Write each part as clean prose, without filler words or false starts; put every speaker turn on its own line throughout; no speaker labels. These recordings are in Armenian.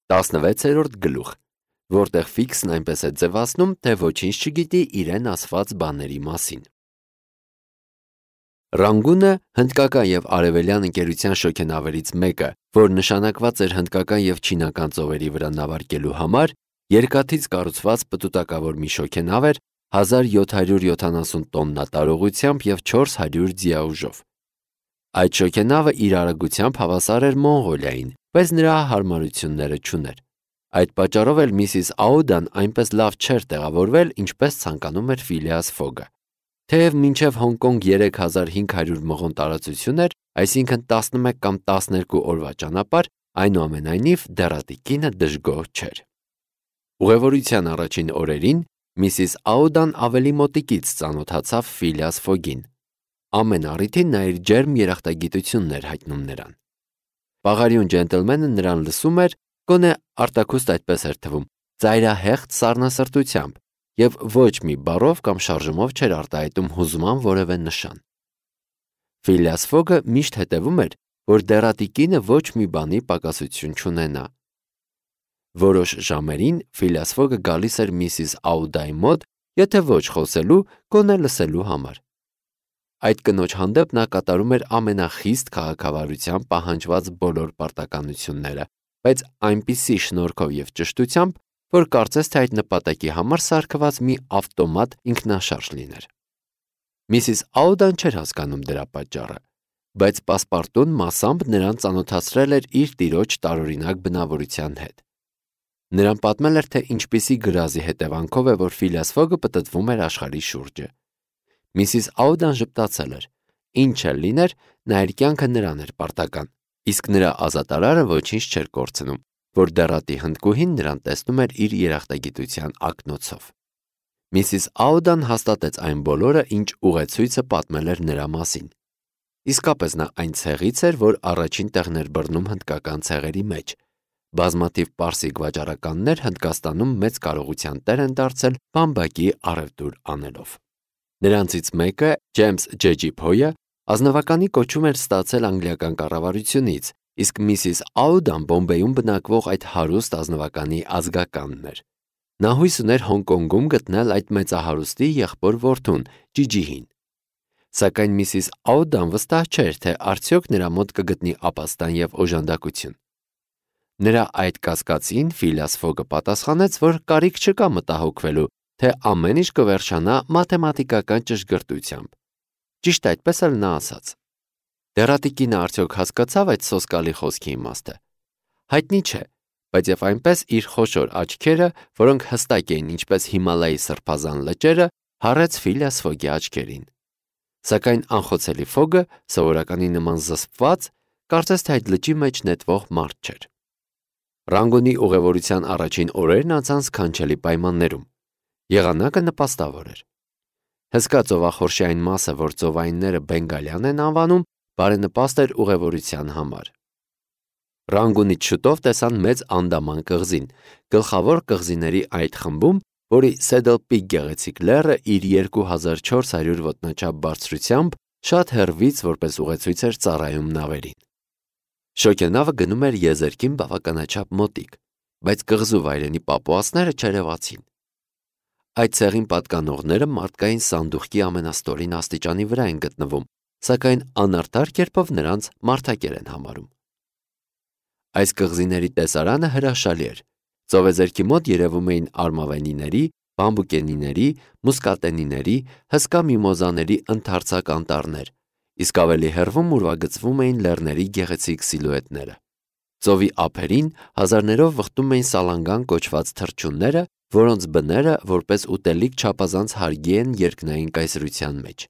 16-րդ գլուխ, որտեղ Ֆիքսն այնպես է ձևացնում, թե ոչինչ չգիտի իրեն ասված բաների մասին։ Ռանգունը հնդկական եւ արևելյան ընկերության շոգենավերից մեկը, որ նշանակված էր հնդկական եւ չինական ծովերի վրա նավարկելու համար, երկաթից կառուցված պտուտակավոր մի շոգենավ էր 1770 տոննա տարողությամբ եւ 400 ձիաուժով։ Այդ շոգենավը իր արագությամբ հավասար էր Մոնղոլիային, բայց նրա հարմարությունները չուներ։ Այդ պատճառով էլ Միսիս Աուդան այնպես լավ չէր տեղավորվել, ինչպես ցանկանում էր Ֆիլիաս Ֆոգը։ Թեև մինչև Հոնկոնգ 3500 մղոն տարածություն էր, այսինքն 11 կամ 12 օրվա ճանապարհ, այնուամենայնիվ դեռատի կինը դժգոհ չէր։ Ուղևորության առաջին օրերին Միսիս Աուդան ավելի մոտիկից ծանոթացավ Ֆիլիաս Ֆոգին։ Ամեն առիթին նա իր ջերմ երախտագիտությունն էր հայտնում նրան։ Պաղարիուն ջենտլմենը նրան լսում էր, գոնե արտաքուստ այդպես էր թվում, ծայրահեղձ սառնասրտությամբ եւ ոչ մի բառով կամ շարժումով չէր արտահայտում հուզման որևէ նշան։ Ֆիլիաս Ֆոգը միշտ հետևում էր, որ դեռատի կինը ոչ մի բանի պակասություն չունենա։ Որոշ ժամերին Ֆիլիաս Ֆոգը գալիս էր Միսիս Աուդայի մոտ, եթե ոչ խոսելու, գոնե լսելու համար։ Այդ կնոջ հանդեպ նա կատարում էր ամենախիստ քաղաքավարությամբ պահանջված բոլոր պարտականությունները, բայց այնպիսի շնորհքով եւ ճշտությամբ, որ կարծես թե այդ նպատակի համար սարքված մի ավտոմատ ինքնաշարժ լիներ։ Միսիս Աուդան չէր հասկանում դրա պատճառը, բայց պասպարտուն մասամբ նրան ծանոթացրել էր իր տիրոջ տարօրինակ բնավորության հետ։ Նրան պատմել էր, թե ինչպիսի գրազի հետևանքով է, որ Ֆիլիաս Ֆոգը պտտվում էր աշխարհի շուրջը։ Միսիս Աուդան ժպտացել էր։ Ինչ էլ լիներ, նա իր կյանքը նրան էր պարտական, իսկ նրա ազատարարը ոչինչ չէր կորցնում, որ դեռատի հնդկուհին նրան տեսնում էր իր երախտագիտության ակնոցով։ Միսիս Աուդան հաստատեց այն բոլորը, ինչ ուղեցույցը պատմել էր նրա մասին։ Իսկապես նա այն ցեղից էր, որ առաջին տեղն էր բռնում հնդկական ցեղերի մեջ։ Բազմաթիվ պարսիկ վաճառականներ Հնդկաստանում մեծ կարողության տեր են դարձել բամբակի առևտուր անելով։ Նրանցից մեկը, Ջեյմս Ջեջի Փոյը, ազնվականի կոչում էր ստացել անգլիական կառավարությունից, իսկ Միսիս Աուդան Բոմբեյում բնակվող այդ հարուստ ազնվականի ազգականն էր։ Նա հույս ուներ Հոնկոնգում գտնել այդ մեծահարուստի եղբոր որդուն, Ջիջիհին։ Սակայն Միսիս Աուդան վստահ չէր, թե արդյոք նրա մոտ կգտնի ապաստան եւ օժանդակություն։ Նրա այդ կասկածին Ֆիլիաս Ֆոգը պատասխանեց, որ կարիք չկա մտահոգվելու, թե ամեն ինչ կվերջանա մաթեմատիկական ճշգրտությամբ։ Ճիշտ այդպես էլ նա ասաց։ Դեռատի կինը արդյոք հասկացավ այդ սոսկալի խոսքի իմաստը։ Հայտնի չէ, բայց եւ այնպես իր խոշոր աչքերը, որոնք հստակ էին ինչպես Հիմալայի սրբազան լճերը, հառեց Ֆիլիաս Ֆոգի աչքերին։ Սակայն անխոցելի Ֆոգը, սովորականի նման զսպված, կարծես թե այդ լճի մեջ նետվող մարդ չէր։ Ռանգունի ուղևորության առաջին օրերն անցան սքանչելի պայմաններում։ Եղանակը նպաստավոր էր։ Հսկա ծովախորշի այն մասը, որ ծովայինները Բենգալյան են անվանում, բարենպաստ էր ուղևորության համար։ Ռանգունից շուտով տեսան մեծ Անդաման կղզին, գլխավոր կղզիների այդ խմբում, որի Սեդլ Պիկ գեղեցիկ լեռը իր 2400 ոտնաչափ բարձրությամբ շատ հեռվից որպես ուղեցույց էր ծառայում նավերին։ Շոգենավը գնում էր եզերքին բավականաչափ մոտիկ, բայց կղզու վայրենի պապուասները չերևացին։ Այդ ցեղին պատկանողները մարդկային սանդուղքի ամենաստորին աստիճանի վրա են գտնվում, սակայն անարդար կերպով նրանց մարդակեր են համարում։ Այս կղզիների տեսարանը հրաշալի էր։ Ծովեզերքի մոտ երևում էին արմավենիների, բամբուկենիների, մուսկատենիների, հսկա միմոզաների ընդարձակ անտառներ, իսկ ավելի հեռվում ուրվագծվում էին լեռների գեղեցիկ սիլուետները։ Ծովի ափերին հազարներով վխտում էին սալանգան կոչված թռչունները, որոնց բները որպես ուտելիք չափազանց հարգի են երկնային կայսրության մեջ։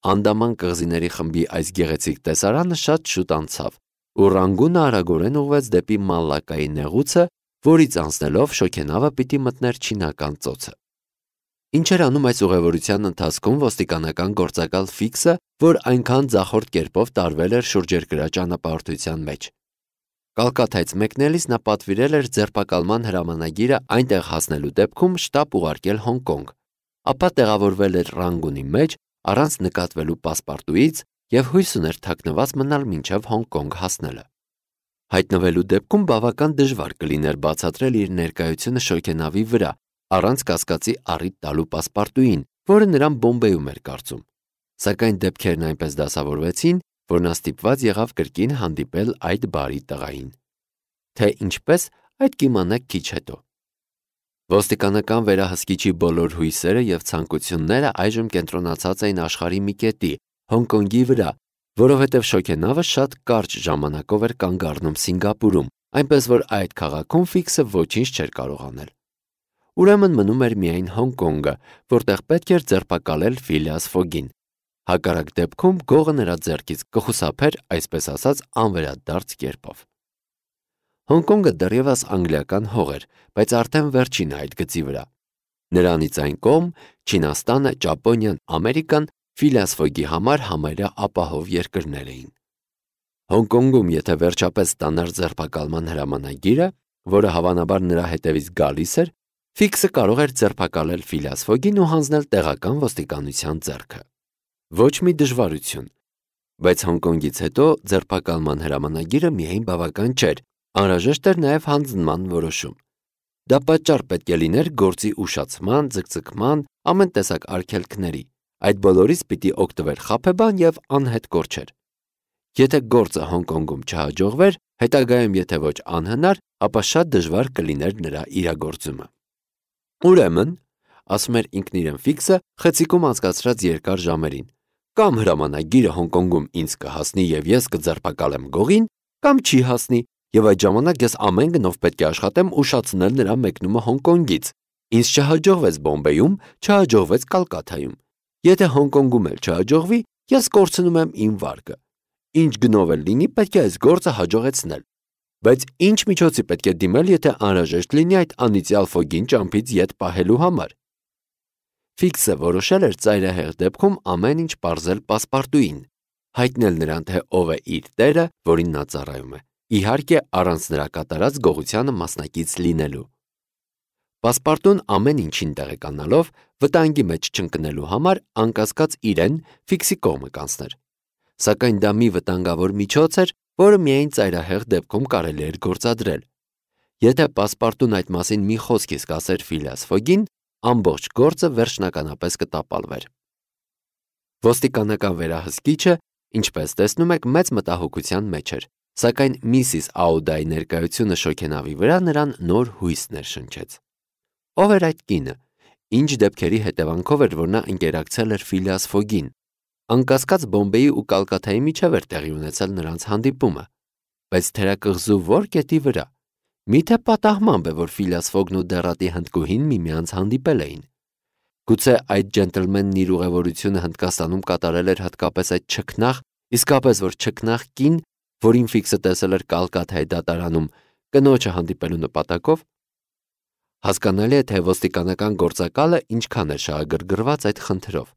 Անդաման կղզիների խմբի այս գեղեցիկ տեսարանը շատ շուտ անցավ, ու Ռանգունը արագորեն ուղղվեց դեպի Մալակայի նեղուցը, որից անցնելով շոգենավը պիտի մտներ չինական ծոցը։ Ինչ էր անում այս ուղևորության ընթացքում ոստիկանական գործակալ Ֆիքսը, որ այնքան ձախորդ կերպով տարվել էր շուրջերկրյա ճանապարհորդության մեջ։ Կալկաթայից մեկնելիս նա պատվիրել էր ձերբակալման հրամանագիրը այնտեղ հասնելու դեպքում շտապ ուղարկել Հոնկոնգ, ապա տեղավորվել էր Ռանգունի մեջ առանց նկատվելու պասպարտուից եւ հույս ուներ թաքնված մնալ մինչև Հոնկոնգ հասնելը։ Հայտնվելու դեպքում բավական դժվար կլիներ բացատրել իր ներկայությունը շոգենավի վրա, առանց կասկածի առիթ տալու պասպարտուին, որը նրան Բոմբեյում էր կարծում։ Սակայն դեպքերն այնպես դասավորվեցին, որ նա ստիպված եղավ կրկին հանդիպել այդ բարի տղային։ Թե ինչպես, այդ կիմանաք քիչ հետո։ Ոստիկանական վերահսկիչի բոլոր հույսերը եւ ցանկությունները այժմ կենտրոնացած էին աշխարհի մի կետի, Հոնկոնգի վրա, որովհետև շոգենավը շատ կարճ ժամանակով էր կանգ առնում Սինգապուրում, այնպես որ այդ քաղաքում Ֆիքսը ոչինչ չէր կարող անել։ Ուրեմն մնում էր միայն Հոնկոնգը, որտեղ պետք էր ձերբակալել Ֆիլիաս Ֆոգին։ Հակառակ դեպքում գողը նրա ձեռքից կխուսափեր, այսպես ասած, անվերադարձ կերպով։ Հոնկոնգը դեռևս անգլիական հող էր, բայց արդեն վերջինը այդ գծի վրա։ Նրանից այն կողմ Չինաստանը, Ճապոնիան, Ամերիկան Ֆիլիաս Ֆոգի համար համարյա ապահով երկրներ էին։ Հոնկոնգում, եթե վերջապես ստանար ձերբակալման հրամանագիրը, որը հավանաբար նրա հետևից գալիս էր, Ֆիքսը կարող էր ձերբակալել Ֆիլիաս Ֆոգին ու հանձնել տեղական ոստիկանության ձեռքը։ Ոչ մի դժվարություն, բայց Հոնկոնգից հետո ձերբակալման հրամանագիրը միայն բավական չէր, անհրաժեշտ էր նաև հանձնման որոշում։ Դա պատճառ պետք է լիներ գործի ուշացման, ձգձգման, ամեն տեսակ արգելքների։ Այդ բոլորից պիտի օգտվեր խաբեբան եւ անհետ կորչեր։ Եթե գործը Հոնկոնգում չհաջողվեր, հետագայում եթե ոչ անհնար, ապա շատ դժվար կլիներ նրա իրագործումը։ Ուրեմն, ասում էր ինքն իրեն Ֆիքսը, խցիկում անցկացրած երկար ժամերին, կամ հրամանագիրը Հոնկոնգում ինձ կհասնի եւ ես կձերբակալեմ գողին, կամ չի հասնի, եւ այդ ժամանակ ես ամեն գնով պետք է աշխատեմ ուշացնել նրա մեկնումը Հոնկոնգից։ Ինձ չհաջողվեց Բոմբեյում, չհաջողվեց Կալկաթայում։ Եթե Հոնկոնգում էլ չհաջողվի, ես կորցնում եմ իմ վարկը։ Ինչ գնով էլ լինի, պետք է այս գործը հաջողեցնել։ Բայց ինչ միջոցի պետք է դիմել, եթե անհրաժեշտ լինի այդ անիծյալ Ֆոգին ճամփից ետ պահելու համար։ Ֆիքսը որոշել էր ծայրահեղ դեպքում ամեն ինչ պարզել պասպարտուին, հայտնել նրան, թե ով է իր տերը, որին նա ծառայում է, իհարկե առանց նրա կատարած գողությանը մասնակից լինելու։ Պասպարտուն ամեն ինչին տեղեկանալով, վտանգի մեջ չընկնելու համար անկասկած իրեն Ֆիքսի կողմը կանցներ։ Սակայն դա մի վտանգավոր միջոց էր, որը միայն ծայրահեղ դեպքում կարելի էր գործադրել։ Եթե պասպարտուն այդ մասին մի խոսք իսկ ասեր Ֆիլիաս Ֆոգին, ամբողջ գործը վերջնականապես կտապալվեր։ Ոստիկանական վերահսկիչը, ինչպես տեսնում եք, մեծ մտահոգության մեջ էր, սակայն Միսիս Աուդայի ներկայությունը շոգենավի վրա նրան նոր հույս ներշնչեց։ Ով էր այդ կինը, ինչ դեպքերի հետևանքով էր, որ նա ընկերակցել էր Ֆիլիաս Ֆոգին։ Անկասկած Բոմբեյի ու Կալկաթայի միջև էր տեղի ունեցել նրանց հանդիպումը, բայց թերակղզու որ կետի վրա։ Միթե պատահմամբ է, որ Ֆիլիաս Ֆոգն ու դեռատի հնդկուհին միմյանց հանդիպել էին։ Գուցե այդ ջենտլմենն իր ուղևորությունը Հնդկաստանում կատարել էր հատկապես այդ չքնաղ, իսկապես որ չքնաղ կին, որին Ֆիքսը տեսել էր Կալկաթայի դատարանում, կնոջը հանդիպելու նպատակով։ Հասկանալի է, թե ոստիկանական գործակալը ինչքան էր շահագրգռված այդ խնդրով։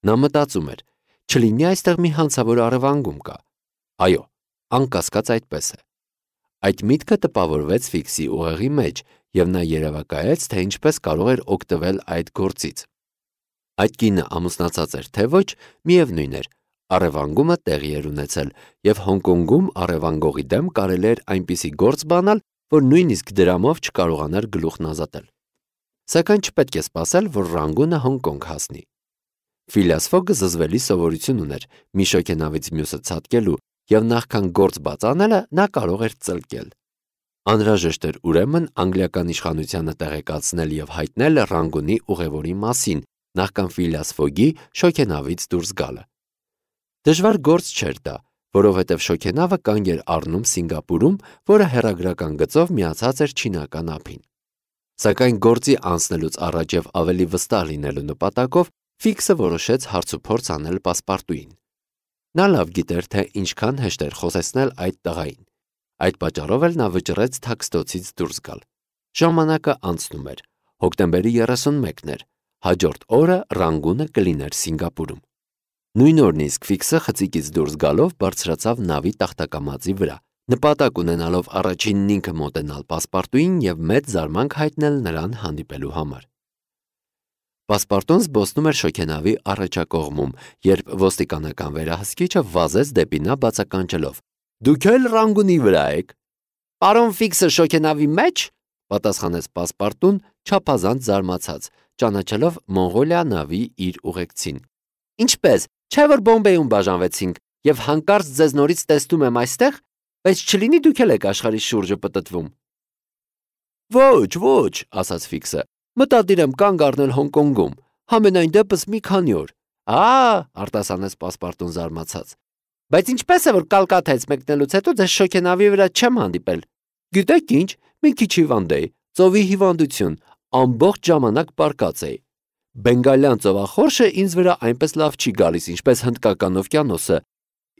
Նա մտածում էր, չլինի այստեղ մի հանցավոր առևանգում կա։ Այո, անկասկած այդպես է։ Այդ միտքը տպավորվեց Ֆիքսի ուղեղի մեջ, եւ նա երևակայեց, թե ինչպես կարող էր օգտվել այդ գործից։ Այդ կինը ամուսնացած էր, թե ոչ, միևնույն էր, առևանգումը տեղի էր ունեցել, եւ Հոնկոնգում առևանգողի դեմ կարելի էր այնպիսի գործ բանալ, որ նույնիսկ դրամով չկարողանար գլուխն ազատել։ Սակայն չպետք է սպասել, որ Ռանգունը Հոնկոնգ հասնի։ Ֆիլիաս Ֆոգը զզվելի սովորություն ուներ մի շոգենավից մյուսը ցատկելու, եւ նախքան գործ բաց անելը նա կարող էր ծլկել։ Անհրաժեշտ էր ուրեմն անգլիական իշխանությանը տեղեկացնել եւ հայտնել Ռանգունի ուղևորի մասին, նախքան Ֆիլիաս Ֆոգի շոգենավից դուրս գալը։ Դժվար գործ չէր դա, որովհետև շոգենավը կանգ էր առնում Սինգապուրում, որը հեռագրական գծով միացած էր չինական ափին։ Սակայն գործի անցնելուց առաջ եւ ավելի վստահ լինելու նպատակով Ֆիքսը որոշեց հարցուփորձ անել պասպարտուին։ Նա լավ գիտեր, թե ինչքան հեշտ էր խոսեցնել այդ տղային։ Այդ պատճառով էլ նա վճռեց թաքստոցից դուրս գալ։ Ժամանակը անցնում էր։ Հոկտեմբերի 31-ն էր։ Հաջորդ օրը Ռանգունը կլիներ Սինգապուրում։ Նույն օրն իսկ Ֆիքսը խցիկից դուրս գալով բարձրացավ նավի տախտակամածի վրա, նպատակ ունենալով առաջինն ինքը մոտենալ պասպարտուին եւ մեծ զարմանք հայտնել նրան հանդիպելու համար։ Պասպարտուն զբոսնում էր շոգենավի առաջակողմում, երբ ոստիկանական վերահսկիչը վազեց դեպի նա բացականչելով. Դուք էլ Ռանգունի վրա եք։ Պարոն Ֆիքսը շոգենավի մեջ, պատասխանեց Պասպարտուն, չափազանց զարմացած, ճանաչելով Մոնղոլիա նավի իր ուղեկցին։ Ինչպես, չէ որ Բոմբեյում բաժանվեցինք եւ հանկարծ ձեզ նորից տեսնում եմ այստեղ, բայց չլինի դուք էլ եք աշխարհի շուրջը պտտվում։ Ոչ, ասաց Ֆիքսը։ Մտադիր եմ կանգ առնել Հոնկոնգում, համենայն դեպս մի քանի օր։ Արտասանեց Պասպարտուն զարմացած։ Բայց ինչպես է որ Կալկաթայից մեկնելուց հետո ձեզ շոգենավի վրա չեմ հանդիպել։ Գիտեք ինչ, մի քիչ հիվանդ էի, ծովի հիվանդություն, ամբողջ ժամանակ պարկած էի։ Բենգալյան ծովախորշը ինձ վրա այնպես լավ չի գալիս, ինչպես Հնդկական օվկիանոսը։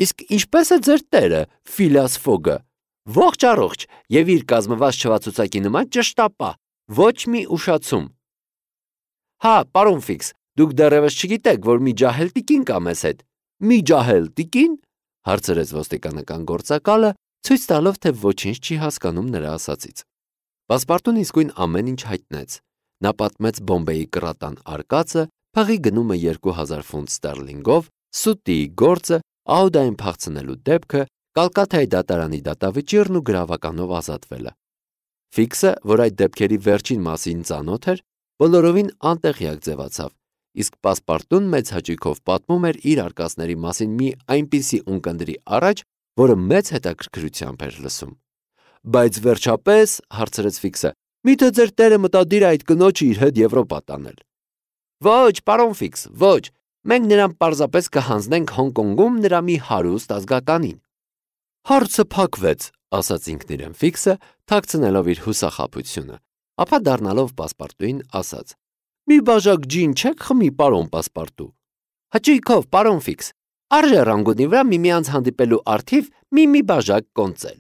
Իսկ ինչպես է ձեր տերը, Ֆիլաս Ֆոգը։ Ողջ առողջ եւ իր կազմված չվացուցակի նման ճշտապա, ոչ մի ուշացում։ Պարոն Ֆիքս, դուք դեռևս չգիտեք, որ մի ջահել տիկին կա մեզ հետ։ Մի ջահել տիկին, հարցրեց ոստիկանական գործակալը, ցույց տալով, թե ոչինչ չի հասկանում նրա ասածից։ Պասպարտուն իսկույն ամեն ինչ հայտնեց։ Նա պատմեց Բոմբեյի կրատան արկածը, փղի գնումը 2000 ֆունտ ստերլինգով, սուտիի գործը, Աուդային փախցնելու դեպքը, Կալկաթայի դատարանի դատավճիռն ու գրավականով ազատվելը։ Ֆիքսը, որ այդ դեպքերի վերջին մասին ծանոթ էր, բոլորովին անտեղյակ ձևացավ, իսկ Պասպարտուն մեծ հաճույքով պատմում էր իր արկածների մասին մի այնպիսի ունկնդրի առաջ, որը մեծ հետաքրքրությամբ էր լսում։ Բայց վերջապես, հարցրեց Ֆիքսը, միթե ձեր տերը մտադիր է այդ կնոջը իր հետ Եվրոպա տանել։ Ոչ, պարոն Ֆիքս, ոչ, մենք նրան պարզապես կհանձնենք Հոնկոնգում նրա մի հարուստ ազգականին։ Հարցը փակվեց, ասաց ինքն իրեն Ֆիքսը, թաքցնելով իր հուսախաբությունը, ապա դառնալով Պասպարտուին ասաց. Մի բաժակ ջին չեք խմի, պարոն Պասպարտու։ Հաճույքով, պարոն Ֆիքս, արժե Ռանգունի վրա միմյանց հանդիպելու առթիվ մի բաժակ կոնծել։